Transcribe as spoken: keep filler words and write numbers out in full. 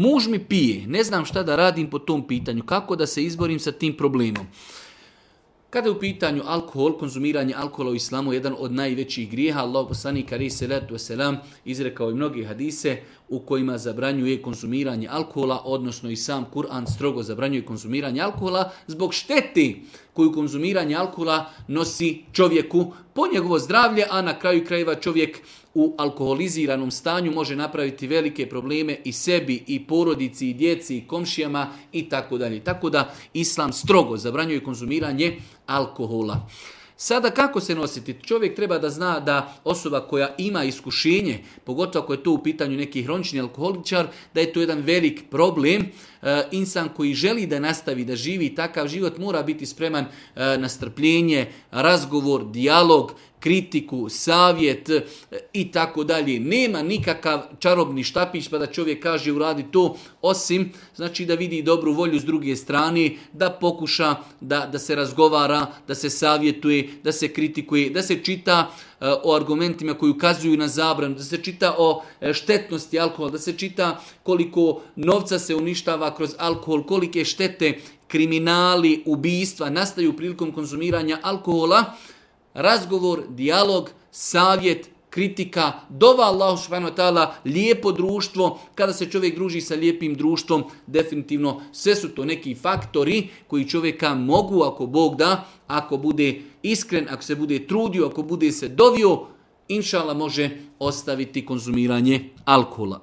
Muž mi pije, ne znam šta da radim po tom pitanju, kako da se izborim sa tim problemom. Kada je u pitanju alkohol, konzumiranje alkohola u islamu je jedan od najvećih grijeha. Allah poslanik alejhi selatu vesselam izrekao je mnoge hadise u kojima zabranjuje konzumiranje alkohola, odnosno i sam Kur'an strogo zabranjuje konzumiranje alkohola zbog štete koju konzumiranje alkohola nosi čovjeku po njegovo zdravlje, a na kraju krajeva čovjek u alkoholiziranom stanju može napraviti velike probleme i sebi, i porodici, i djeci, i komšijama i tako dalje. Tako da Islam strogo zabranjuje konzumiranje alkohola. Sada kako se nositi? Čovjek treba da zna da osoba koja ima iskušenje, pogotovo ako je to u pitanju neki hronični alkoholičar, da je to jedan velik problem. E, insan koji želi da nastavi da živi takav život mora biti spreman e, na strpljenje, razgovor, dijalog, kritiku, savjet e, i tako dalje. Nema nikakav čarobni štapić pa da čovjek kaže uradi to, osim znači da vidi dobru volju s druge strane, da pokuša da, da se razgovara, da se savjetuje, da se kritikuje, da se čita e, o argumentima koji ukazuju na zabranu, da se čita o e, štetnosti alkohola, da se čita koliko novca se uništava kroz alkohol, kolike štete, kriminali, ubijstva nastaju prilikom konzumiranja alkohola. Razgovor, dijalog, savjet, kritika, dova Allahu subhanahu wa ta'ala, lijepo društvo. Kada se čovjek druži sa lijepim društvom, definitivno sve su to neki faktori koji čovjeka mogu, ako Bog da, ako bude iskren, ako se bude trudio, ako bude se dovio, inša Allah može ostaviti konzumiranje alkohola.